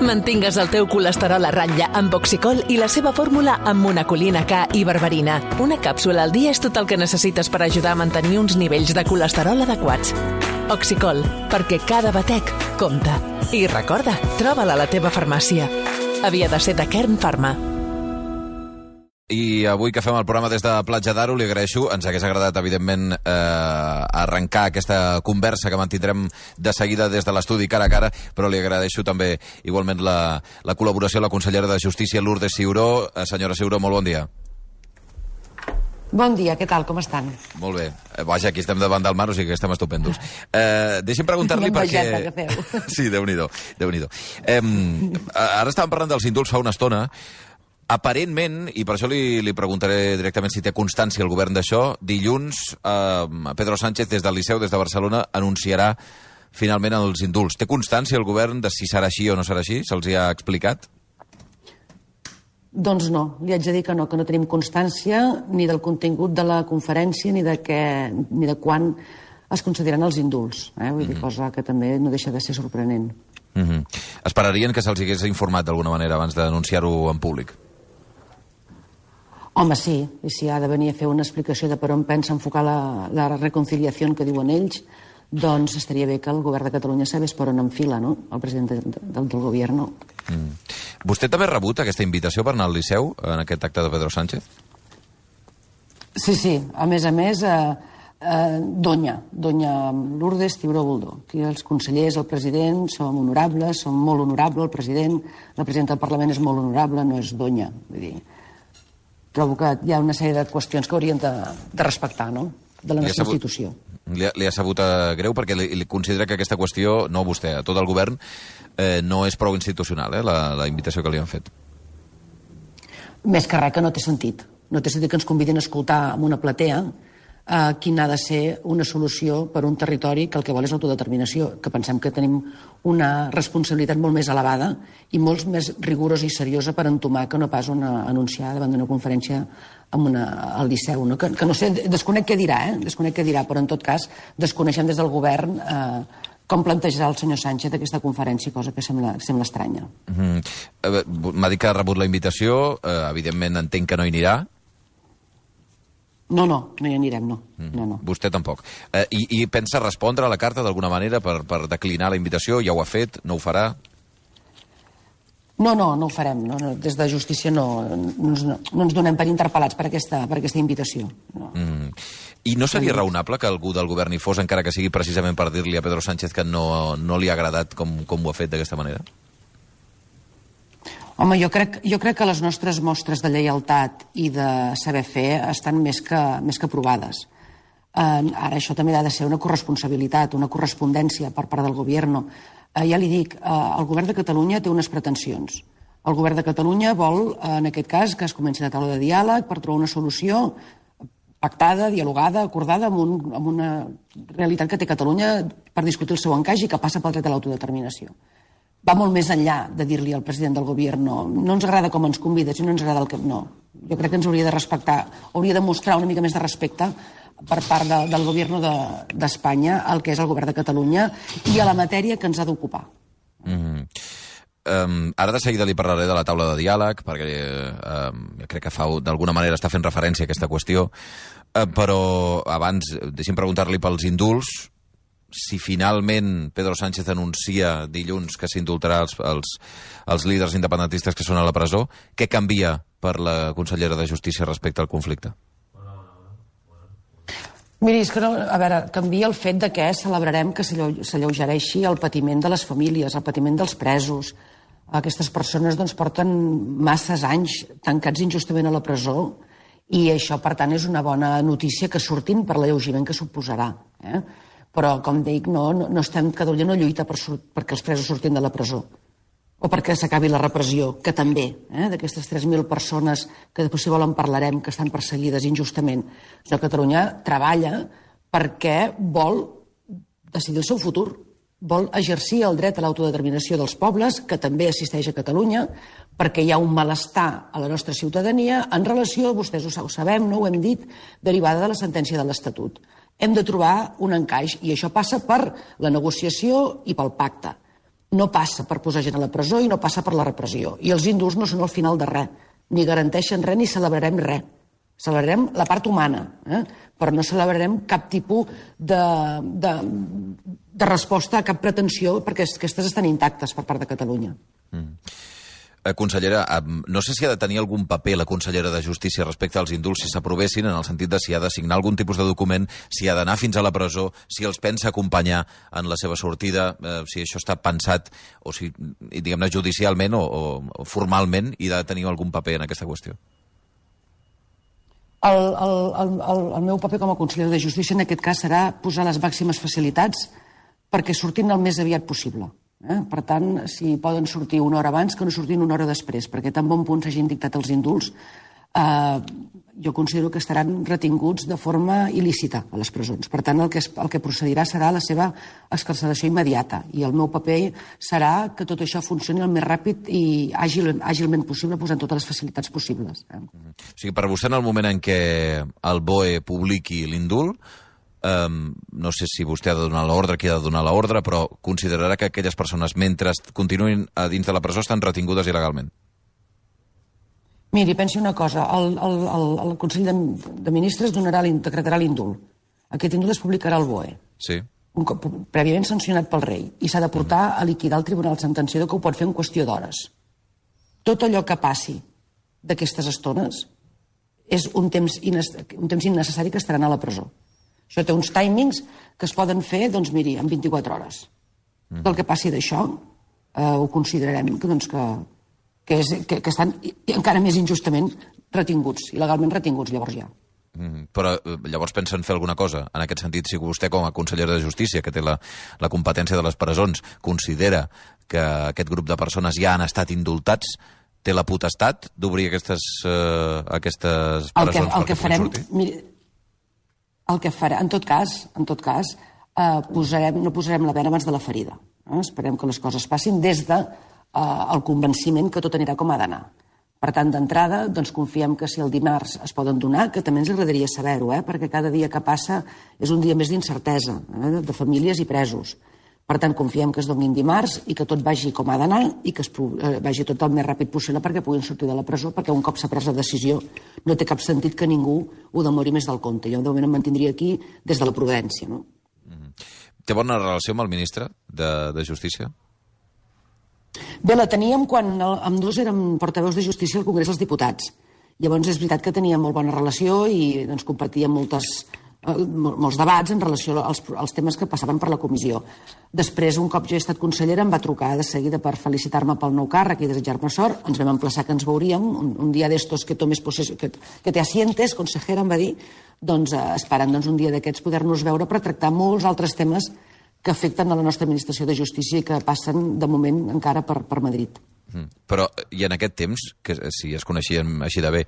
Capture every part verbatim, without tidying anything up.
Mantingues el teu colesterol a ratlla amb Oxicol i la seva fórmula amb monacolina K i berberina. Una càpsula al dia és tot el que necessites per ajudar a mantenir uns nivells de colesterol adequats. Oxicol, perquè cada batec compta. I recorda, troba-la a la teva farmàcia. Havia de ser de Kern Pharma. I avui que fem el programa des de Platja d'Aro, li agraeixo, ens hagués agradat, evidentment, eh, arrencar aquesta conversa que mantindrem de seguida des de l'estudi cara a cara, però li agraeixo també igualment la, la col·laboració a la consellera de Justícia, Lourdes Ciuró. Eh, senyora Ciuró, molt bon dia. Bon dia, què tal, com estan? Molt bé. Eh, vaja, aquí estem davant del mar, o sigui que estem estupendos. Eh, deixi'm preguntar-li perquè... Sí, Déu-n'hi-do, Déu-n'hi-do. Eh, ara estàvem parlant dels indults fa una estona. Aparentment, i per això li, li preguntaré directament si té constància el govern d'això, dilluns eh, Pedro Sánchez des del Liceu, des de Barcelona, anunciarà finalment els indults. Té constància el govern de si serà així o no serà així? Se'ls hi ha explicat? Doncs no, li haig de dir que no, que no tenim constància ni del contingut de la conferència ni de, què, ni de quan es concediran els indults. Eh? Vull dir, mm-hmm. cosa que també no deixa de ser sorprenent. Mm-hmm. Esperarien que se'ls hagués informat d'alguna manera abans d'anunciar-ho en públic? Home, sí, i si ha de venir a fer una explicació de per on pensa enfocar la, la reconciliació que diuen ells, doncs estaria bé que el govern de Catalunya sabés per on enfila, no?, el president de, de, del govern. Mm. Vostè també ha rebut aquesta invitació per anar al Liceu en aquest acte de Pedro Sánchez? Sí, sí, a més a més, eh, eh, Doña, Doña Lourdes Ciuró Boldó. Aquí els consellers, el president, som honorables, som molt honorables, el president, la presidenta del Parlament és molt honorable, no és Doña, vull dir... Trobo que hi ha una sèrie de qüestions que haurien de, de respectar, no?, de la nostra sabut, institució. Li ha, li ha sabut uh, greu perquè li, li considera que aquesta qüestió, no vostè, a tot el govern, eh, no és prou institucional, eh, la, la invitació que li han fet. Més que res que no té sentit. No té sentit que ens convidin a escoltar en una platea eh, quina ha de ser una solució per un territori que el que vol és l'autodeterminació, que pensem que tenim una responsabilitat molt més elevada i molt més rigorosa i seriosa per entomar que no pas una anunciar davant d'una conferència amb una, al Liceu. No? Que, que no sé, desconec què dirà, eh? desconec què dirà, però en tot cas desconeixem des del govern eh, com plantejarà el senyor Sánchez aquesta conferència, cosa que sembla, sembla estranya. Mm-hmm. M'ha dit que ha rebut la invitació, eh, evidentment entenc que no hi anirà. No, no, no hi anirem, no. no, no. Vostè tampoc. Eh, i, I pensa respondre a la carta d'alguna manera per, per declinar la invitació? Ja ho ha fet? No ho farà? No, no, no ho farem. No, no. Des de Justícia no, no, ens, no, no ens donem per interpel·lats per aquesta, per aquesta invitació. No. Mm. I no seria raonable que algú del govern hi fos, encara que sigui precisament per dir-li a Pedro Sánchez que no, no li ha agradat com, com ho ha fet d'aquesta manera? Home, jo crec, jo crec que les nostres mostres de lleialtat i de saber fer estan més que, més que provades. Eh, ara, això també ha de ser una corresponsabilitat, una correspondència per part del govern. Eh, ja li dic, eh, el govern de Catalunya té unes pretensions. El govern de Catalunya vol, eh, en aquest cas, que es comenci la taula de diàleg per trobar una solució pactada, dialogada, acordada amb, un, amb una realitat que té Catalunya per discutir el seu encaix i que passa pel dret a l'autodeterminació. Va molt més enllà de dir-li al president del govern no, no ens agrada com ens convida, si no ens agrada el que... No, jo crec que ens hauria de respectar, hauria de mostrar una mica més de respecte per part de, del govern d'Espanya de, al que és el govern de Catalunya i a la matèria que ens ha d'ocupar. Mm-hmm. um, ara de seguida li parlaré de la taula de diàleg, perquè um, crec que fa d'alguna manera està fent referència a aquesta qüestió, uh, però abans deixi'm preguntar-li pels indults. Si finalment Pedro Sánchez anuncia dilluns que s'indultarà els, els, els líders independentistes que són a la presó, què canvia per la consellera de Justícia respecte al conflicte? Miri, és que no, a veure, canvia el fet de que celebrarem que s'alleugereixi el patiment de les famílies, el patiment dels presos. Aquestes persones doncs, porten masses anys tancats injustament a la presó i això, per tant, és una bona notícia que surtin per l'alleugiment que suposarà. Eh? Però, com dic, no, no, no estem, Catalunya no lluita per, perquè els presos surtin de la presó o perquè s'acabi la repressió, que també, eh, d'aquestes tres mil persones que després, si volen, parlarem, que estan perseguides injustament. Sinó que Catalunya treballa perquè vol decidir el seu futur, vol exercir el dret a l'autodeterminació dels pobles, que també assisteix a Catalunya, perquè hi ha un malestar a la nostra ciutadania en relació, vostès ho sabem, no ho hem dit, derivada de la sentència de l'Estatut. Hem de trobar un encaix i això passa per la negociació i pel pacte. no passa per posar gent a la presó i no passa per la repressió. I els indults no són el final de res, ni garanteixen res ni celebrarem res. Celebrarem la part humana, eh? Però no celebrarem cap tipus de, de, de resposta a cap pretensió, perquè aquestes estan intactes per part de Catalunya. Mm. Eh, consellera, no sé si ha de tenir algun paper la consellera de Justícia respecte als indults si s'aprovessin, en el sentit de si ha de signar algun tipus de document, si ha d'anar fins a la presó, si els pensa acompanyar en la seva sortida, eh, si això està pensat, o si, diguem-ne, judicialment o, o, o formalment, i ha de tenir algun paper en aquesta qüestió. El, el, el, el meu paper com a consellera de Justícia en aquest cas serà posar les màximes facilitats perquè surtin el més aviat possible. Eh? Per tant, si poden sortir una hora abans, que no surtin una hora després, perquè tan bon punt s'hagin dictat els indults, eh, jo considero que estaran retinguts de forma il·lícita a les presons. Per tant, el que, es, el que procedirà serà la seva excarceració immediata, i el meu paper serà que tot això funcioni el més ràpid i àgil, àgilment possible, posant totes les facilitats possibles. Eh? O sigui, per vostè, en el moment en què el B O E publiqui l'indult, Um, no sé si vostè ha de donar l'ordre, qui ha de donar l'ordre, però considerarà que aquelles persones, mentre continuïn a dins de la presó, estan retingudes il·legalment? Miri, pensi una cosa. El, el, el, el Consell de, de Ministres donarà, decretarà l'indult. Aquest indult es publicarà al B O E. Sí. Un cop prèviament sancionat pel rei. I s'ha de portar a liquidar el Tribunal Sentenciador, que ho pot fer en qüestió d'hores. Tot allò que passi d'aquestes estones és un temps, un temps innecessari que estaran a la presó. Això té uns timings que es poden fer, doncs miri, en vint-i-quatre hores. Mm. Del que passi d'això, eh, ho considerarem que, doncs, que, que, és, que, que estan encara més injustament retinguts, il·legalment retinguts, llavors ja. Mm, però llavors pensen fer alguna cosa? En aquest sentit, si vostè, com a consellera de Justícia, que té la, la competència de les presons, considera que aquest grup de persones ja han estat indultats, té la potestat d'obrir aquestes, eh, aquestes presons el que, el que perquè puguin sortir? Miri, el que farà, en tot cas, en tot cas eh, posarem, no posarem la bena abans de la ferida. Eh? Esperem que les coses passin des del de, eh, el convenciment que tot anirà com ha d'anar. Per tant, d'entrada, doncs confiem que si el dimarts es poden donar, que també ens agradaria saber-ho, eh? Perquè cada dia que passa és un dia més d'incertesa, eh? de famílies i presos. Per tant, confiem que es donin dimarts i que tot vagi com ha d'anar i que es eh, vagi tot el més ràpid possible perquè puguin sortir de la presó, perquè un cop s'ha pres la decisió no té cap sentit que ningú ho demori més del compte. Jo de moment em mantindria aquí des de la prudència. No? Mm-hmm. Té bona relació amb el ministre de, de Justícia? Bé, la teníem quan el, amb dos érem portaveus de Justícia al Congrés dels Diputats. Llavors és veritat que teníem molt bona relació i doncs, compartíem moltes... molts debats en relació als, als temes que passaven per la comissió. Després, un cop jo he estat consellera, em va trucar de seguida per felicitar-me pel nou càrrec i desitjar-me sort. Ens vam emplaçar que ens veuríem. Un, un dia d'estos que tomes possessió, que, que te asientes, consejera, em va dir, doncs eh, esperant doncs, un dia d'aquests poder-nos veure per tractar molts altres temes que afecten a la nostra administració de justícia i que passen, de moment, encara per, per Madrid. Mm. Però, i en aquest temps, que si es coneixien així de bé,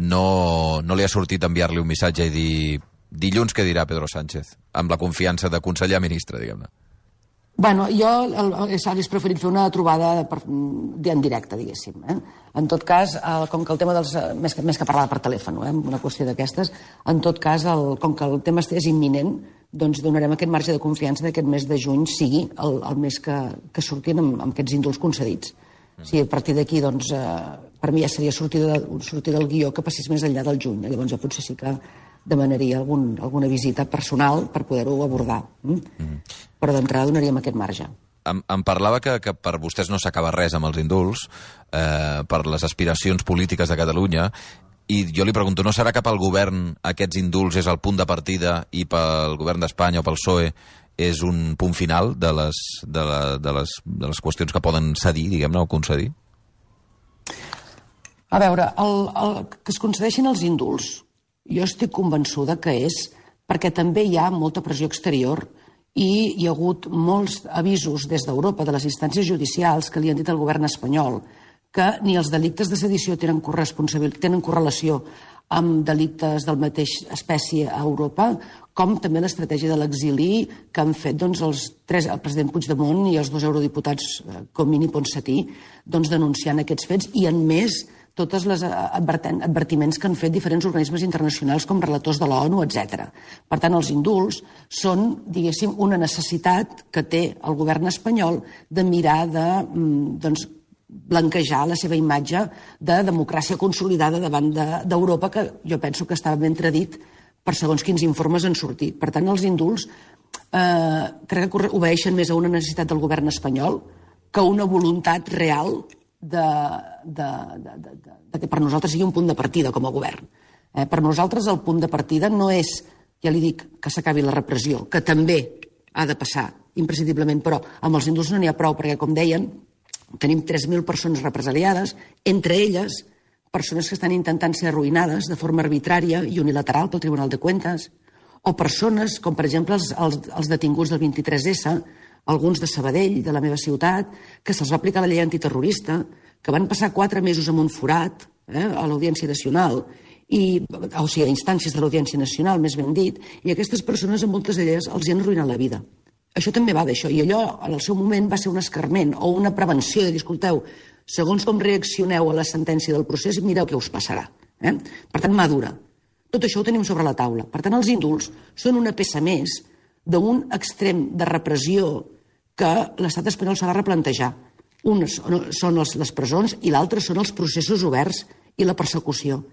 no, no li ha sortit enviar-li un missatge i dir... Dilluns què dirà Pedro Sánchez? Amb la confiança de conseller a ministre, diguem-ne. Bueno, jo hauria preferit fer una trobada per, en directe, diguéssim. Eh? En tot cas, el, com que el tema dels... Més que, més que parlar per telèfon, eh? Una qüestió d'aquestes, en tot cas, el, com que el tema és imminent, doncs donarem aquest marge de confiança d'aquest mes de juny sigui el, el mes que, que surtin amb, amb aquests indults concedits. Mm. Si a partir d'aquí, doncs, eh, per mi ja seria sortir, de, sortir del guió que passés més enllà del juny. Llavors ja potser sí que demanaria algun, alguna visita personal per poder-ho abordar. Mm? Mm. Però d'entrada donaríem aquest marge. Em, em parlava que, que per vostès no s'acaba res amb els indults, eh, per les aspiracions polítiques de Catalunya, i jo li pregunto, no serà que pel govern aquests indults és el punt de partida i pel govern d'Espanya o pel P S O E és un punt final de les, de la, de les, de les qüestions que poden cedir, diguem-ne, o concedir? A veure, el, el, que es concedeixin els indults, jo estic convençuda que és perquè també hi ha molta pressió exterior i hi ha hagut molts avisos des d'Europa, de les instàncies judicials, que li han dit al govern espanyol que ni els delictes de sedició tenen, tenen correlació amb delictes del mateix espècie a Europa, com també l'estratègia de l'exili que han fet doncs, els tres, el president Puigdemont i els dos eurodiputats Comín i Ponsatí, doncs, denunciant aquests fets, i en més tots els advertiments que han fet diferents organismes internacionals com relators de l'ONU, etcètera. Per tant, els indults són, diguéssim, una necessitat que té el govern espanyol de mirar de doncs, blanquejar la seva imatge de democràcia consolidada davant d'Europa, que jo penso que estava ben tradit per segons quins informes han sortit. Per tant, els indults eh, crec que obeeixen més a una necessitat del govern espanyol que a una voluntat real de, de, de, de, de, de que per nosaltres sigui un punt de partida com a govern. Eh, per nosaltres el punt de partida no és, ja li dic, que s'acabi la repressió, que també ha de passar, imprescindiblement, però amb els indults no n'hi ha prou, perquè, com deien, tenim tres mil persones represaliades, entre elles persones que estan intentant ser arruïnades de forma arbitrària i unilateral pel Tribunal de Cuentas, o persones com, per exemple, els, els, els detinguts del vint-i-tres esse, alguns de Sabadell, de la meva ciutat, que se'ls va aplicar la llei antiterrorista, que van passar quatre mesos en un forat eh, a l'Audiència Nacional, i, o sigui, a instàncies de l'Audiència Nacional, més ben dit, i aquestes persones, en moltes d'elles, els hi han arruïnat la vida. Això també va d'això, i allò, en el seu moment, va ser un escarment o una prevenció de dir, escolteu, segons com reaccioneu a la sentència del procés, mireu què us passarà. Eh? Per tant, madura. Tot això ho tenim sobre la taula. Per tant, els indults són una peça més d'un extrem de repressió que l'estat espanyol s'ha de replantejar. Un són les, les presons i l'altre són els processos oberts i la persecució.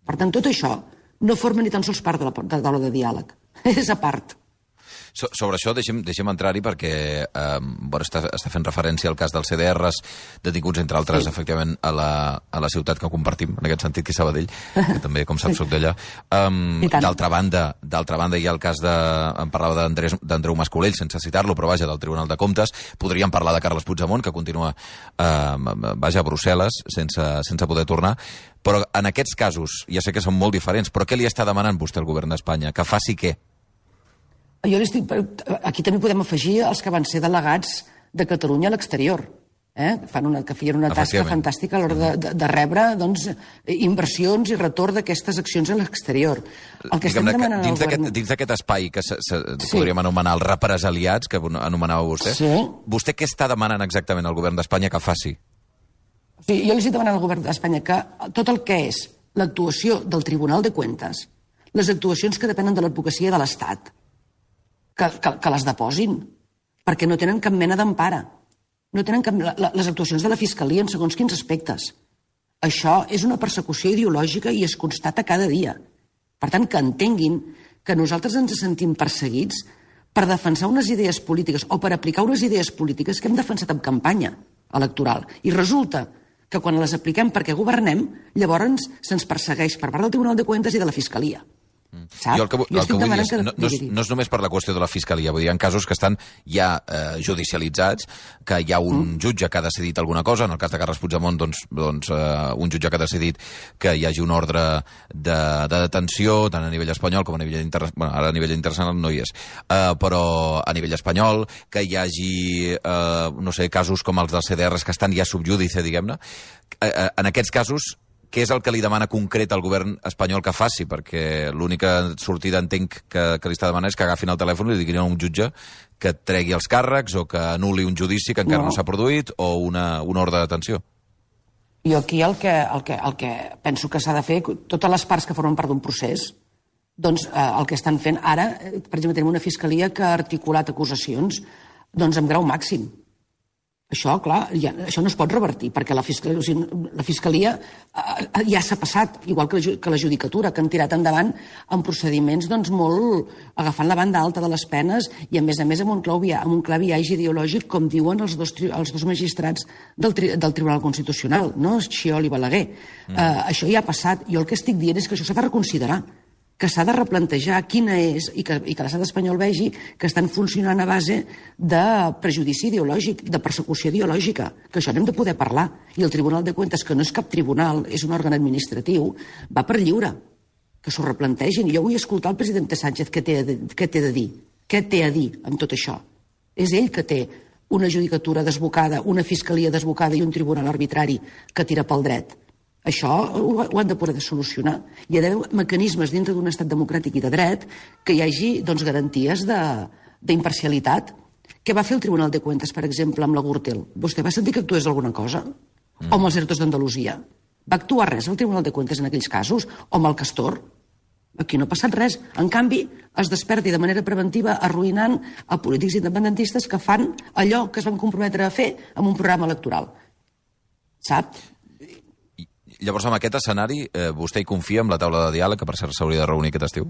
Per tant, tot això no forma ni tan sols part de la, de la taula de diàleg. És a part. So, sobre això deixem, deixem entrar-hi perquè eh, bueno, està, està fent referència al cas dels ce de erres detinguts, entre altres, sí. efectivament, a la, a la ciutat que compartim, en aquest sentit, que és Sabadell, que també, com saps, soc d'allà. Um, D'altra banda, d'altra banda, hi ha el cas de... Em parlava d'Andreu Mascolell, sense citar-lo, però vaja, del Tribunal de Comptes. Podríem parlar de Carles Puigdemont, que continua eh, vaja, a Brussel·les, sense, sense poder tornar. Però en aquests casos, ja sé que són molt diferents, però què li està demanant vostè al govern d'Espanya? Que faci què? Jo estic... Aquí també podem afegir els que van ser delegats de Catalunya a l'exterior, eh? Fan una, que feien una tasca fantàstica a l'hora de, de, de rebre doncs, inversions i retorn d'aquestes accions a l'exterior. El que estem demanant dins govern... Dins d'aquest espai que se, se, sí. podríem anomenar els represaliats, que anomenava vostè, sí. vostè què està demanant exactament al govern d'Espanya que faci? Sí, jo li estic demanant al govern d'Espanya que tot el que és l'actuació del Tribunal de Cuentas, les actuacions que depenen de l'advocacia de l'Estat, Que, que, que les deposin, perquè no tenen cap mena d'empara. No tenen cap, la, les actuacions de la Fiscalia en segons quins aspectes. Això és una persecució ideològica i es constata cada dia. Per tant, que entenguin que nosaltres ens sentim perseguits per defensar unes idees polítiques o per aplicar unes idees polítiques que hem defensat en campanya electoral. I resulta que quan les apliquem perquè governem, llavors se'ns persegueix per part del Tribunal de Cuentas i de la Fiscalia. Sap? Jo el que, el que vull dir és, no, no, és, no és només per la qüestió de la Fiscalia, vull dir, hi ha casos que estan ja eh, judicialitzats, que hi ha un mm. jutge que ha decidit alguna cosa, en el cas de Carles Puigdemont, doncs, doncs eh, un jutge que ha decidit que hi hagi un ordre de, de detenció, tant a nivell espanyol com a nivell internacional, bueno, ara a nivell internacional no hi és, eh, però a nivell espanyol, que hi hagi, eh, no sé, casos com els dels ce de erres que estan ja subjúdice, diguem-ne, eh, eh, en aquests casos, què és el que li demana concret al govern espanyol que faci? Perquè l'única sortida, entenc, que, que li està demanant és que agafin el telèfon i li diguin a un jutge que tregui els càrrecs o que anul·li un judici que encara no, no s'ha produït o una, una ordre de detenció. Jo aquí el que, el que, el que penso que s'ha de fer, totes les parts que formen part d'un procés, doncs eh, el que estan fent ara, per exemple, tenim una fiscalia que ha articulat acusacions doncs amb grau màxim. Això, clar, ja, això no es pot revertir, perquè la fiscalia, o sigui, la fiscalia eh, ja s'ha passat, igual que la, que la judicatura, que han tirat endavant en procediments doncs, molt agafant la banda alta de les penes i, a més a més, amb un clar, amb un clar viatge ideològic, com diuen els dos, els dos magistrats del, tri, del Tribunal Constitucional, no? Schiol i Balaguer. Mm. Eh, això ja ha passat. Jo el que estic dient és que això s'ha de reconsiderar, que s'ha de replantejar quina és, i que, i que l'estat espanyol vegi que estan funcionant a base de prejudici ideològic, de persecució ideològica, que això n'hem de poder parlar. I el Tribunal de Cuentas, que no és cap tribunal, és un òrgan administratiu, va per lliure, que s'ho replantegin. I jo vull escoltar el president Sánchez què té, de, què té de dir, què té a dir amb tot això. És ell que té una judicatura desbocada, una fiscalia desbocada i un tribunal arbitrari que tira pel dret. Això ho han de poder solucionar. Hi ha d'haver mecanismes dintre d'un estat democràtic i de dret que hi hagi doncs, garanties d'imparcialitat. Què va fer el Tribunal de Cuentas, per exemple, amb la Gürtel? Vostè va sentir que actués alguna cosa? Mm. O amb els ERTOs d'Andalusia? Va actuar res al Tribunal de Cuentas en aquells casos? O amb el Castor? Aquí no ha passat res. En canvi, es desperti de manera preventiva arruïnant a polítics independentistes que fan allò que es van comprometre a fer amb un programa electoral. Sap? Llavors, amb aquest escenari, eh, vostè hi confia en la taula de diàleg, que per cert s'hauria de reunir aquest estiu?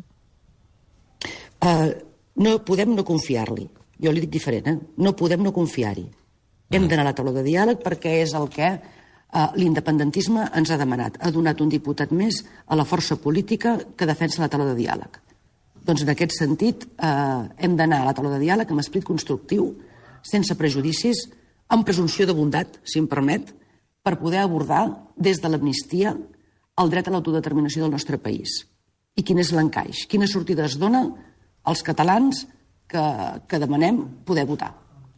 Uh, no podem no confiar-li. Jo li dic diferent, eh? No podem no confiar-hi. Mm. Hem d'anar a la taula de diàleg perquè és el que uh, l'independentisme ens ha demanat. Ha donat un diputat més a la força política que defensa la taula de diàleg. Doncs en aquest sentit uh, hem d'anar a la taula de diàleg amb esperit constructiu, sense prejudicis, amb presumpció de bondat, si em permet, per poder abordar des de l'amnistia el dret a l'autodeterminació del nostre país. I quin és l'encaix? Quina sortida es dona als catalans que, que demanem poder votar?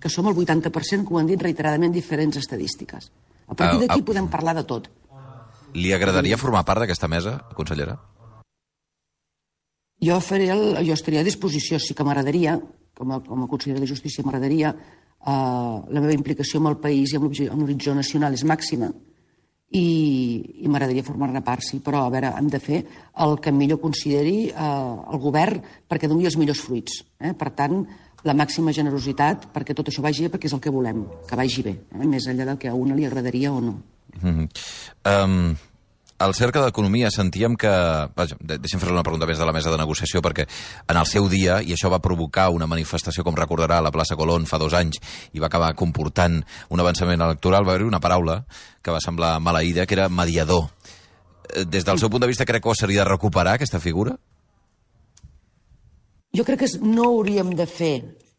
Que som el vuitanta per cent, que ho han dit reiteradament diferents estadístiques. A partir d'aquí uh, uh, podem parlar de tot. Li agradaria formar part d'aquesta mesa, consellera? Jo, faré el, jo estaria a disposició, sí que m'agradaria, com, com a consellera de Justícia m'agradaria. Uh, la meva implicació amb el país i amb l'horitzó nacional és màxima i, i m'agradaria formar-ne part, sí, però a veure, hem de fer el que millor consideri uh, el govern perquè doni els millors fruits. Eh? Per tant, la màxima generositat perquè tot això vagi bé, perquè és el que volem, que vagi bé, eh? Més enllà del que a una li agradaria o no. Mm-hmm. um... Al Cercle d'Economia sentíem que... Vaja, deixem fer una pregunta més de la mesa de negociació, perquè en el seu dia, i això va provocar una manifestació, com recordarà, a la plaça Colón fa dos anys, i va acabar comportant un avançament electoral, va haver-hi una paraula que va semblar maleïda, que era mediador. Des del seu punt de vista, crec que s'hauria de recuperar aquesta figura? Jo crec que no hauríem de fer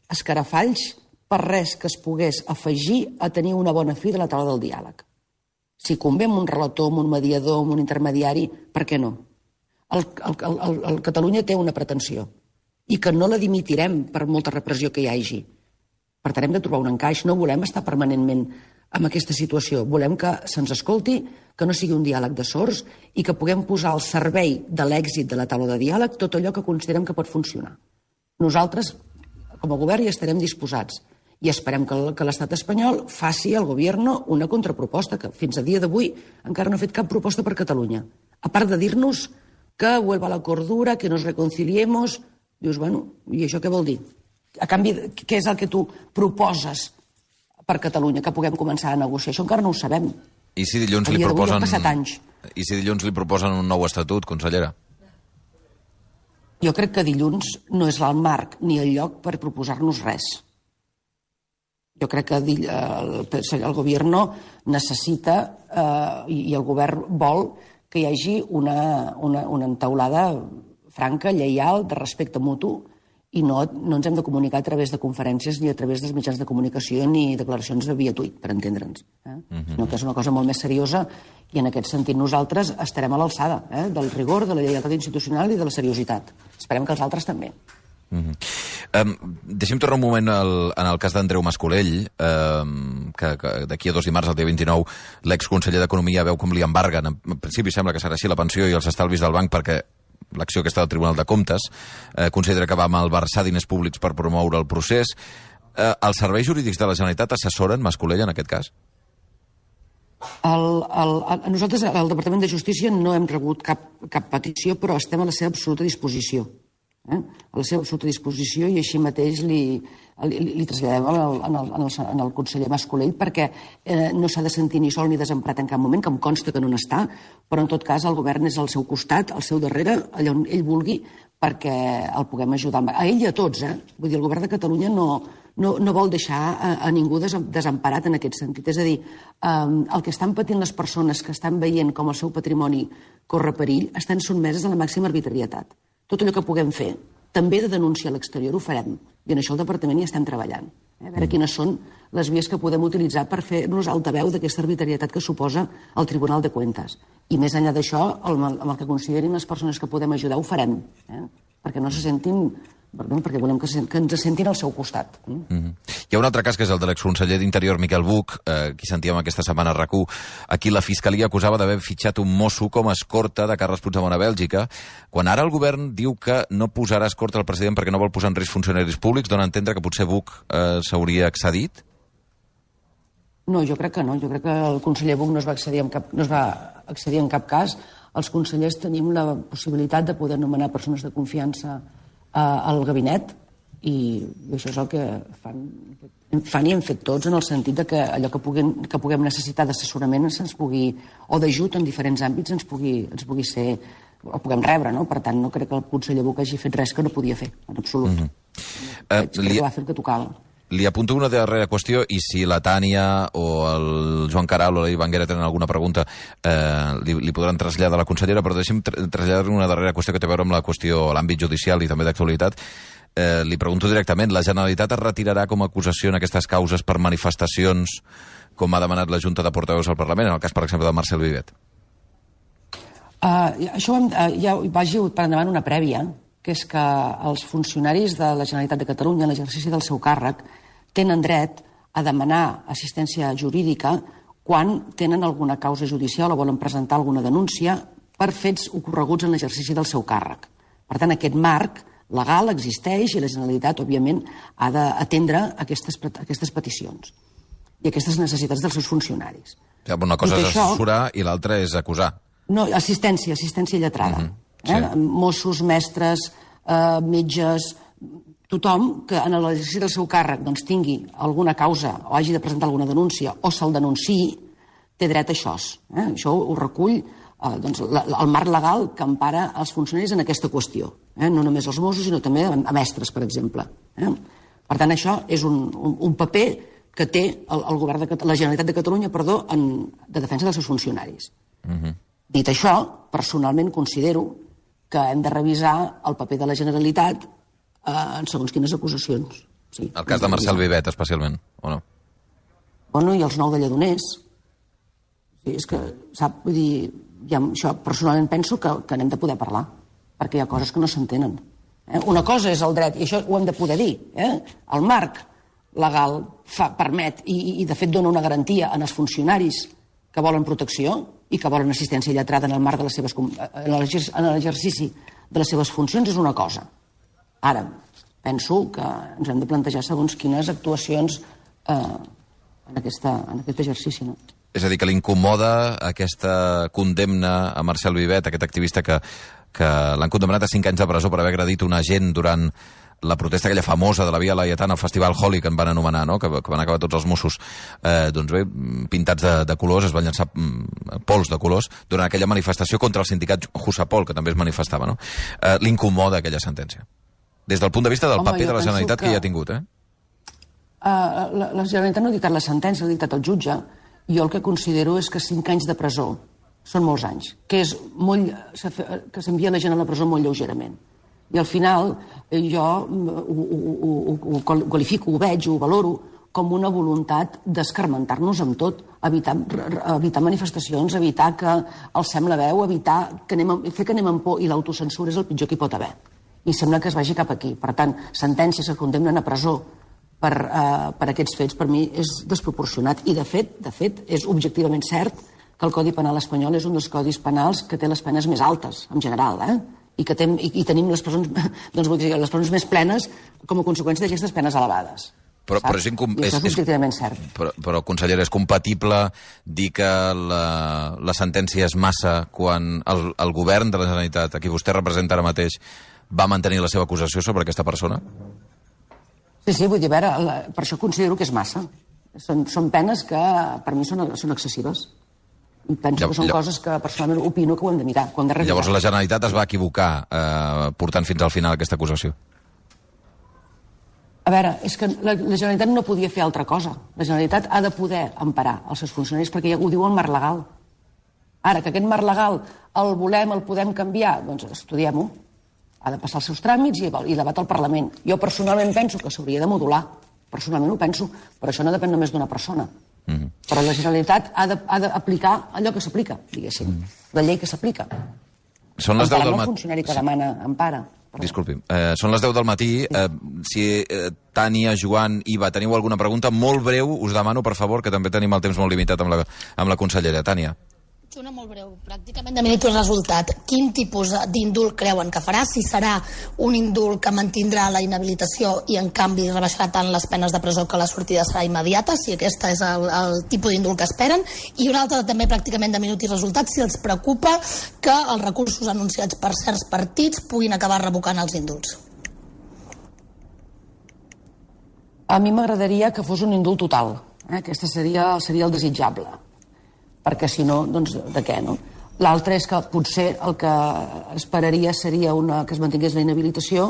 escarafalls per res que es pogués afegir a tenir una bona fi de la taula del diàleg. Si convé amb un relator, amb un mediador, amb un intermediari, per què no? El, el, el, el Catalunya té una pretensió i que no la dimitirem per molta repressió que hi hagi. Per tant, hem de trobar un encaix. No volem estar permanentment en aquesta situació. Volem que se'ns escolti, que no sigui un diàleg de sords i que puguem posar al servei de l'èxit de la taula de diàleg tot allò que considerem que pot funcionar. Nosaltres, com a govern, hi estarem disposats. I esperem que, que l'estat espanyol faci al govern una contraproposta, que fins a dia d'avui encara no ha fet cap proposta per Catalunya. A part de dir-nos que vuelva la cordura, que nos reconciliemos, dius, bueno, i això què vol dir? A canvi, què és el que tu proposes per Catalunya, que puguem començar a negociar? Això encara no ho sabem. I si dilluns li proposen... Han passat anys. I si dilluns li proposen un nou estatut, consellera? Jo crec que dilluns no és el marc ni el lloc per proposar-nos res. Jo crec que el, el govern necessita eh, i el govern vol que hi hagi una, una, una entaulada franca, lleial, de respecte mutu, i no, no ens hem de comunicar a través de conferències ni a través dels mitjans de comunicació ni declaracions de via tuit, per entendre'ns. Eh? Mm-hmm. Sinó que és una cosa molt més seriosa i en aquest sentit nosaltres estarem a l'alçada eh? del rigor, de la lleialtat institucional i de la seriositat. Esperem que els altres també. Mm-hmm. Um, deixem tornar un moment al, en el cas d'Andreu Mascolell, um, que, que d'aquí a dos dimarts, el dia vint-i-nou, l'exconseller d'Economia veu com li embarguen. En principi sembla que serà així la pensió i els estalvis del banc perquè l'acció que està al Tribunal de Comptes eh, considera que va malversar diners públics per promoure el procés. Eh, els serveis jurídics de la Generalitat assessoren Mascolell en aquest cas? El, el, el, nosaltres, al Departament de Justícia, no hem rebut cap, cap petició, però estem a la seva absoluta disposició. Eh? A la seva absoluta disposició i així mateix li, li, li traslladem en el, en, el, en el conseller Mascolell perquè eh, no s'ha de sentir ni sol ni desemparat en cap moment, que em consta que no n'està, però en tot cas el govern és al seu costat, al seu darrere, allà on ell vulgui, perquè el puguem ajudar. A ell i a tots, eh? Vull dir, el govern de Catalunya no, no, no vol deixar a, a ningú desemparat en aquest sentit. És a dir, eh, el que estan patint les persones que estan veient com el seu patrimoni corre perill estan sotmeses a la màxima arbitrarietat. Tot allò que puguem fer, també de denunciar a l'exterior, ho farem. I en això el Departament hi estem treballant. Eh? A veure quines són les vies que podem utilitzar per fer-nos altaveu d'aquesta arbitrarietat que suposa el Tribunal de Cuentas. I més enllà d'això, amb el que considerin les persones que podem ajudar, ho farem. Eh? Perquè no se sentin... perquè volem que, que ens sentin al seu costat. Mm-hmm. Hi ha un altre cas, que és el de l'exconseller d'Interior, Miquel Buch, eh, qui sentíem aquesta setmana a RAC u. Aquí la Fiscalia acusava d'haver fitxat un mosso com a escorta de Carles Puigdemont a Bèlgica, quan ara el govern diu que no posarà escorta al president perquè no vol posar en risc funcionaris públics, dona a entendre que potser Buch eh, s'hauria excedit? No, jo crec que no. Jo crec que el conseller Buch no es va excedir amb cap... no es va accedir en cap cas. Els consellers tenim la possibilitat de poder nomenar persones de confiança al gabinet i això és el que fan, fan i hem fet tots, en el sentit de que allò que puguem, que puguem necessitar d'assessorament se'ns pugui, o d'ajut en diferents àmbits ens pugui, ens pugui ser, o puguem rebre, no? Per tant, no crec que el conseller Buch hagi fet res que no podia fer, en absolut. Mm-hmm. uh, crec li... que va fer el que tocava. Li apunto una darrera qüestió i si la Tània o el Joan Caral o la Ivanguera tenen alguna pregunta eh, li, li podran traslladar a la consellera, però deixi'm tra traslladar una darrera qüestió que té a veure amb la qüestió a l'àmbit judicial i també d'actualitat. Eh, li pregunto directament, la Generalitat es retirarà com a acusació en aquestes causes per manifestacions com ha demanat la Junta de Portaveus al Parlament, en el cas, per exemple, de Marcel Vivet? Uh, això uh, ja vagi per endavant una prèvia, que és que els funcionaris de la Generalitat de Catalunya, en l'exercici del seu càrrec, tenen dret a demanar assistència jurídica quan tenen alguna causa judicial o volen presentar alguna denúncia per fets ocorreguts en l'exercici del seu càrrec. Per tant, aquest marc legal existeix i la Generalitat, òbviament, ha d'atendre aquestes, aquestes peticions i aquestes necessitats dels seus funcionaris. Ja, una cosa és assessorar i l'altra és acusar. No, assistència, assistència lletrada. Mm-hmm. Sí. Eh? Mossos, mestres, eh, metges, tothom que en l'exercici del seu càrrec doncs, tingui alguna causa o hagi de presentar alguna denúncia o se'l denunciï, té dret a això. Eh? Això ho recull eh, doncs, la, el marc legal que empara els funcionaris en aquesta qüestió. Eh? No només els Mossos, sinó també a mestres, per exemple. Eh? Per tant, això és un, un, un paper que té el, el govern de la Generalitat de Catalunya perdó, en, de defensa dels seus funcionaris. Mm-hmm. Dit això, personalment considero que hem de revisar el paper de la Generalitat Uh, en segons quines acusacions. Sí, el cas de Marcel Vivet, especialment, o no? Bueno, i els nou de Lledoners. Sí, és que, sap, vull dir, ja, això personalment penso que, que n'hem de poder parlar, perquè hi ha coses que no s'entenen. Eh? Una cosa és el dret, i això ho hem de poder dir, eh? El marc legal fa, permet, i, i de fet dona una garantia en els funcionaris que volen protecció i que volen assistència lletrada en el marc de les seves, en l'exercici de les seves funcions, és una cosa. Ara, penso que ens hem de plantejar segons quines actuacions eh, en, aquesta, en aquest exercici. No? És a dir, que l'incomoda aquesta condemna a Marcel Vivet, aquest activista que, que l'han condemnat a cinc anys de presó per haver agredit un agent durant la protesta aquella famosa de la Via Laietana, el Festival Holi, que en van anomenar, no? que, que van acabar tots els Mossos eh, doncs bé, pintats de, de colors, es van llançar mm, pols de colors durant aquella manifestació contra el sindicat Jusapol, que també es manifestava. No? Eh, l'incomoda aquella sentència. Des del punt de vista del Home, paper de la Generalitat que... que hi ha tingut, eh? Uh, la, la Generalitat no ha dictat la sentència, ha dictat el jutge. Jo el que considero és que cinc anys de presó són molts anys, que és molt, que s'envia la gent a la presó molt lleugerament. I al final jo ho, ho, ho, ho qualifico, ho veig, ho valoro com una voluntat d'escarmentar-nos amb tot, evitar, evitar manifestacions, evitar que alcem la veu, evitar que anem, fer que anem amb por, i l'autocensura és el pitjor que hi pot haver. I sembla que es vagi cap aquí. Per tant, sentències que condemnen a presó per, uh, per aquests fets, per mi és desproporcionat. I, de fet, de fet, és objectivament cert que el Codi Penal espanyol és un dels codis penals que té les penes més altes, en general, eh? I que tem, i, i tenim les presons, doncs, vull dir, les presons més plenes com a conseqüència d'aquestes penes elevades. Però, però és, incom... I això és objectivament cert. Però, però, consellera, és compatible dir que la, la sentència és massa quan el, el govern de la Generalitat, a qui vostè representa ara mateix, va mantenir la seva acusació sobre aquesta persona? Sí, sí, vull dir, a veure, la, per això considero que és massa. Són, són penes que per mi són, són excessives. I penso Llav que són llav coses que personalment opino que ho hem de mirar, que ho hem de revisar. Llavors la Generalitat es va equivocar eh, portant fins al final aquesta acusació? A veure, és que la, la Generalitat no podia fer altra cosa. La Generalitat ha de poder emparar els seus funcionaris perquè ja ho diu el marc legal. Ara, que aquest marc legal el volem, el podem canviar, doncs estudiem-ho. Ha de passar els seus tràmits i, i debat al Parlament. Jo personalment penso que s'hauria de modular. Personalment ho penso, però això no depèn només d'una persona. Mm-hmm. Però la Generalitat ha d'aplicar allò que s'aplica, diguéssim. Mm. La llei que s'aplica. Són les deu del matí. El funcionari que sí. demana empara. Perdó. Disculpi. Eh, són les deu del matí. Sí. Eh, si eh, Tània, Joan, Iva, teniu alguna pregunta molt breu, us demano, per favor, que també tenim el temps molt limitat amb la, amb la consellera. Tània. Una molt breu, pràcticament de minut el resultat. Quin tipus d'indult creuen que farà? Si serà un indult que mantindrà la inhabilitació i en canvi rebaixarà tant les penes de presó que la sortida serà immediata, si aquest és el, el tipus d'indult que esperen. I un altre també pràcticament de minut i resultat, si els preocupa que els recursos anunciats per certs partits puguin acabar revocant els indults. A mi m'agradaria que fos un indult total. Eh? Aquesta seria, seria el desitjable. Perquè si no, doncs de què, no? L'altre és que potser el que esperaria seria una, que es mantingués la inhabilitació,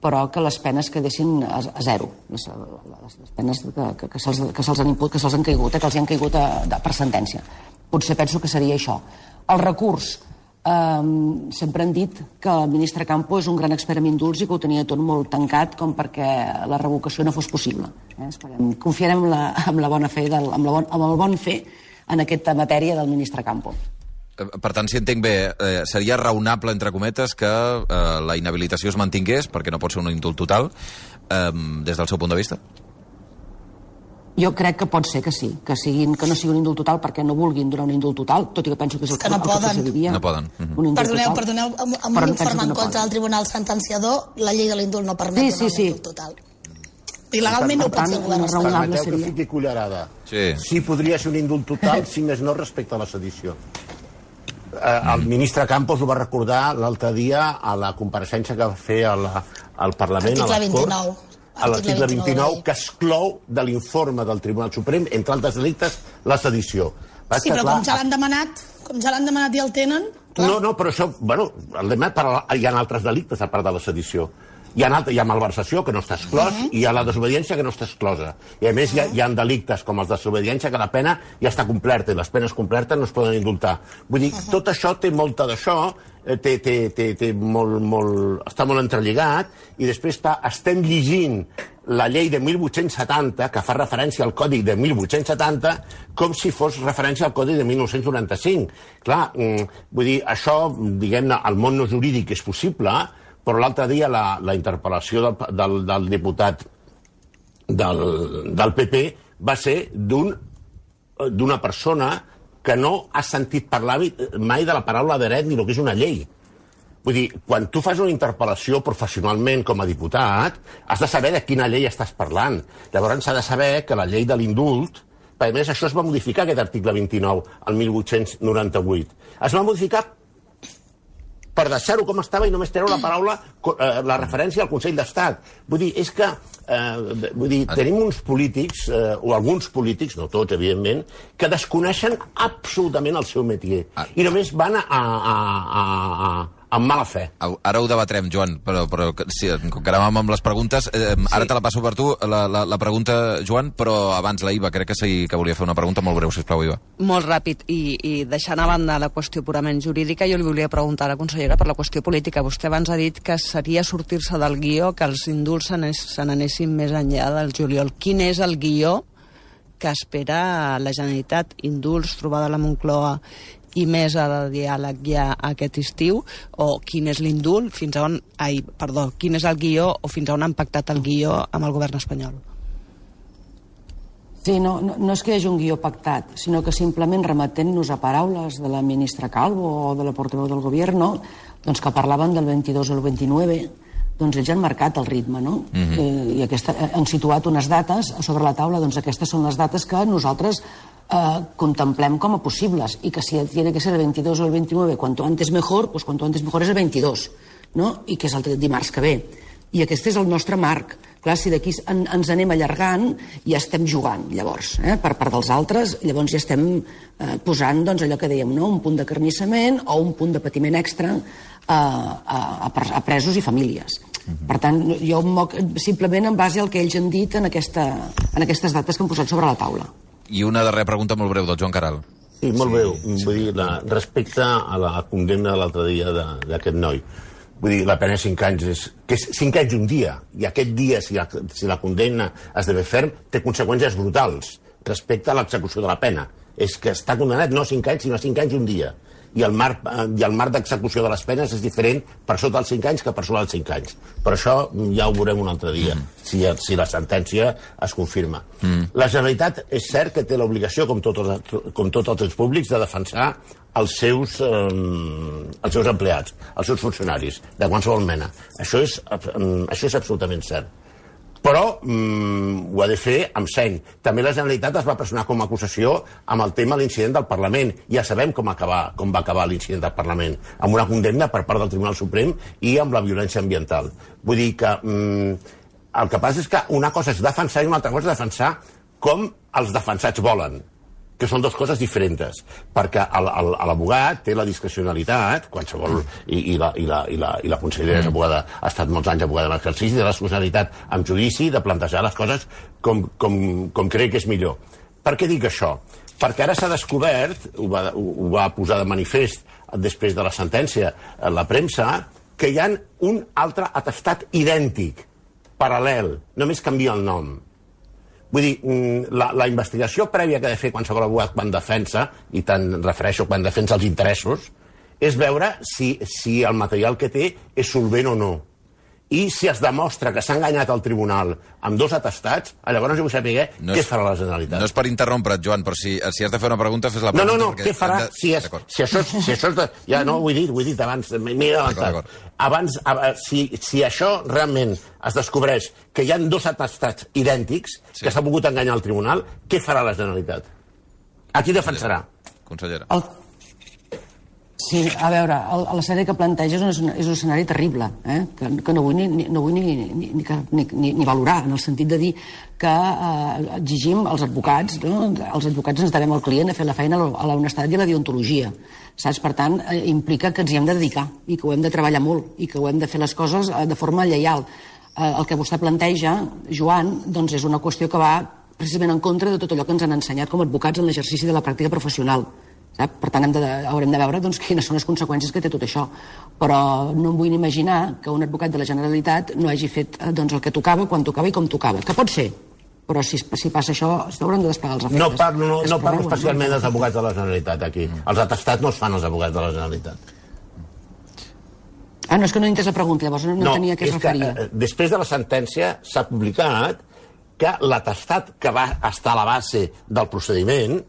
però que les penes quedessin a, a zero. Les, les, les penes que, que, que se'ls que se'ls han imput, que se'ls han caigut, eh, que els han caigut a, a, per sentència. Potser penso que seria això. El recurs. Um, sempre han dit que el ministre Campo és un gran expert en indults i que ho tenia tot molt tancat com perquè la revocació no fos possible. Eh? Esperem, confiarem en la, en la bona fe, del, amb, la bon, amb el bon fe en aquesta matèria del ministre Campo. Per tant, si entenc bé, eh, seria raonable, entre cometes, que eh, la inhabilitació es mantingués, perquè no pot ser un indult total, eh, des del seu punt de vista? Jo crec que pot ser que sí, que, siguin, que no sigui un indult total perquè no vulguin donar un indult total, tot i que penso que és el que, no el que procediria. No poden. Uh-huh. Perdoneu, total, perdoneu, amb, amb un informe en no contra del Tribunal Sentenciador, la llei de l'indult no permet sí, donar sí, un sí. indult total. I legalment no ho pot ser el govern espanyol. Permeteu que fiqui cullerada. Sí. Sí, podria ser un indult total, si més no respecte a la sedició. Eh, el ministre Campos ho va recordar l'altre dia a la compareixença que va fer al, al Parlament, Article a les Corts, vint-i-nou. a l'article vint-i-nou, que exclou de l'informe del Tribunal Suprem, entre altres delictes, la sedició. Va Sí, però clar, com ja l'han demanat, com ja l'han demanat i el tenen... Clar. No, no, però això, bueno, el demanat per, hi ha altres delictes a part de la sedició. Hi ha, altre, hi ha malversació, que no està exclòs, uh -huh. i hi ha la desobediència, que no està exclosa. I, a més, uh -huh. hi, ha, hi ha delictes com els de desobediència, que la pena ja està completa, i les penes complertes no es poden indultar. Vull dir, uh -huh. tot això té molta d'això, té, té, té, té molt, molt, està molt entrelligat, i després està, estem llegint la llei de mil vuit-cents setanta, que fa referència al Còdic de mil vuit-cents setanta, com si fos referència al Còdic de mil nou-cents noranta-cinc. Clar, vull dir, això, diguem-ne, al món no jurídic és possible, però l'altre dia la, la interpel·lació del, del, del diputat del, del P P va ser d'un, d'una persona que no ha sentit parlar mai de la paraula dret ni el que és una llei. Vull dir, quan tu fas una interpel·lació professionalment com a diputat, has de saber de quina llei estàs parlant. Llavors s'ha de saber que la llei de l'indult, a més això es va modificar, aquest article vint-i-nou, el mil vuit-cents noranta-vuit. Es va modificar per deixar-ho com estava i només treure la paraula, eh, la referència al Consell d'Estat. Vull dir, és que eh, vull dir, tenim uns polítics, eh, o alguns polítics, no tots, evidentment, que desconeixen absolutament el seu métier. Ah. I només van a, a, a, a, amb mala fe. Ara ho debatrem, Joan, però, però sí, com que anàvem amb les preguntes, eh, sí. Ara te la passo per tu, la, la, la pregunta, Joan, però abans la Iva, crec que sí que volia fer una pregunta molt breu, sisplau, Iva. Molt ràpid, i, i deixant a banda la qüestió purament jurídica, jo li volia preguntar a la consellera per la qüestió política. Vostè abans ha dit que seria sortir-se del guió, que els indults se n'anessin més enllà del juliol. Quin és el guió que espera la Generalitat? Indults, trobada a la Moncloa i mesa de diàleg ja aquest estiu, o quin és l'indult, fins a on, ai, perdó, quin és el guió o fins a on han pactat el guió amb el govern espanyol? Sí, no, no, no és que hi hagi un guió pactat, sinó que simplement remetent-nos a paraules de la ministra Calvo o de la portaveu del govern, doncs que parlaven del vint-i-dos o el vint-i-nou, doncs ells han marcat el ritme, no? Uh-huh. eh, I aquesta, han situat unes dates sobre la taula, doncs aquestes són les dates que nosaltres eh, contemplem com a possibles, i que si tiene que ser el vint-i-dos o el vint-i-nou, cuanto antes mejor, pues cuanto antes mejor és el vint-i-dos, no? I que és el dimarts que ve. I aquest és el nostre marc. Clar, si d'aquí en, ens anem allargant, ja estem jugant, llavors, eh? per part dels altres, llavors ja estem eh, posant doncs, allò que dèiem, no? Un punt de carnissament o un punt de patiment extra a, a, a presos i famílies. Uh-huh. Per tant, jo em moc simplement en base al que ells han dit en, aquesta, en aquestes dates que han posat sobre la taula. I una darrera pregunta molt breu del Joan Caral. Sí, molt breu. Sí. Vull dir, la, respecte a la condemna de l'altre dia d'aquest noi, vull dir, la pena de cinc anys és, que és cinc anys un dia, i aquest dia, si la, si la condemna esdevé ferm, té conseqüències brutals respecte a l'execució de la pena. És que està condemnat no a cinc anys, sinó a cinc anys un dia. i el marc, i el marc d'execució de les penes és diferent per sota dels cinc anys que per sobre dels cinc anys. Però això ja ho veurem un altre dia, mm. si, si la sentència es confirma. Mm. La Generalitat és cert que té l'obligació, com, tot els, com tots els ens públics, de defensar els seus, eh, els seus empleats, els seus funcionaris, de qualsevol mena. Això és, això és absolutament cert. Però mm, ho ha de fer amb seny. També la Generalitat es va personar com a acusació amb el tema de l'incident del Parlament. Ja sabem com, acabar, com va acabar l'incident del Parlament, amb una condemna per part del Tribunal Suprem i amb la violència ambiental. Vull dir que mm, el que passa és que una cosa és defensar i una altra cosa és defensar com els defensats volen, que són dues coses diferents, perquè l'abogat té la discrecionalitat, qualsevol, i, i, la, i, la, i, la, i la consellera és abogada, ha estat molts anys abogada en l'exercici, té la discrecionalitat amb judici de plantejar les coses com, com, com crec que és millor. Per què dic això? Perquè ara s'ha descobert, ho va, ho va posar de manifest després de la sentència la premsa, que hi ha un altre atestat idèntic, paral·lel, només canvia el nom. Vull dir, la, la investigació prèvia que ha de fer qualsevol abogat quan defensa, i tant refereixo quan defensa els interessos, és veure si, si el material que té és solvent o no. I si es demostra que s'ha enganyat al tribunal amb dos atestats, llavors jo vull saber no què és, farà la Generalitat. No és per interrompre't, Joan, però si, si has de fer una pregunta, fes la pregunta. No, no, no, què farà? De... Si, és, si, això, si això és... De... Ja no, ho he dit, ho he dit abans, m'he avançat. Abans, si, si això realment es descobreix que hi ha dos atestats idèntics, sí, que s'ha pogut enganyar al tribunal, què farà la Generalitat? A qui defensarà? Consellera. El... Sí, a veure, l'escenari que planteja és un, és un escenari terrible, eh? que, que no vull, ni, no vull ni, ni, ni, ni, ni, ni valorar, en el sentit de dir que eh, exigim als advocats, no? Els advocats ens devem al client a fer la feina a l'honestedat i a la deontologia. Saps? Per tant, eh, implica que ens hi hem de dedicar i que ho hem de treballar molt i que ho hem de fer les coses eh, de forma lleial. Eh, el que vostè planteja, Joan, doncs és una qüestió que va precisament en contra de tot allò que ens han ensenyat com a advocats en l'exercici de la pràctica professional. Sap? Per tant, hem de, haurem de veure doncs, quines són les conseqüències que té tot això. Però no em vull ni imaginar que un advocat de la Generalitat no hagi fet doncs, el que tocava, quan tocava i com tocava. Que pot ser, però si, si passa això, s'hauran de desplegar els efectes. No parlo, no, no parlo especialment no? dels advocats de la Generalitat, aquí. Els atestats no els fan els advocats de la Generalitat. Ah, no, és que no he entès la pregunta, llavors no, no tenia què es referia. Que, després de la sentència s'ha publicat que l'atestat que va estar a la base del procediment,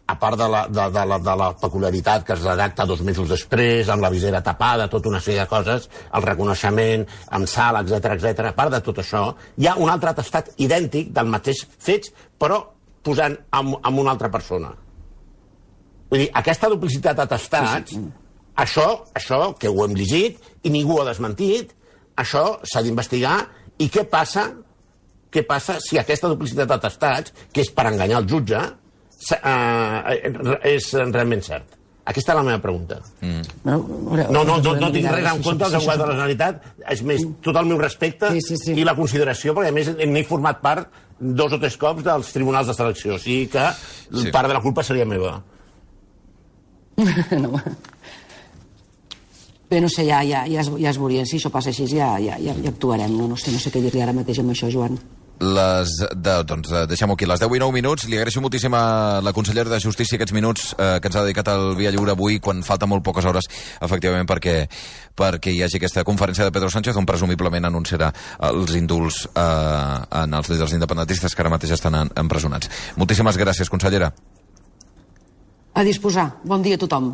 a part de la, de, de, la, de la peculiaritat que es redacta dos mesos després, amb la visera tapada, tota una sèrie de coses, el reconeixement, amb sal, etcètera, etcètera. A part de tot això, hi ha un altre atestat idèntic del mateix fets, però posant amb, amb una altra persona. Vull dir, aquesta duplicitat d'atestats, sí, sí. Això, això, que ho hem llegit, i ningú ho ha desmentit, això s'ha d'investigar, i què passa, què passa si aquesta duplicitat d'atestats, que és per enganyar el jutge, Uh, és realment cert? Aquesta és la meva pregunta. Mm. No, no, no, no, no tinc res en compte dels advocats de la Generalitat, és més, tot el meu respecte sí, sí, sí. i la consideració, perquè a més n'he format part dos o tres cops dels tribunals de selecció, o sigui que sí. part de la culpa seria meva. No. Bé, no sé, ja, ja, ja, es, ja es veuria, si això passa així ja, ja, ja, ja actuarem, no, no sé, no sé què dir-li ara mateix amb això, Joan. Les, de, doncs deixem-ho aquí, les deu i nou minuts. Li agraeixo moltíssim a la consellera de Justícia aquests minuts eh, que ens ha dedicat al Via Lliure avui, quan falta molt poques hores, efectivament, perquè, perquè hi hagi aquesta conferència de Pedro Sánchez, on presumiblement anunciarà els indults eh, en els líders independentistes que ara mateix estan empresonats. Moltíssimes gràcies, consellera. A disposar. Bon dia a tothom.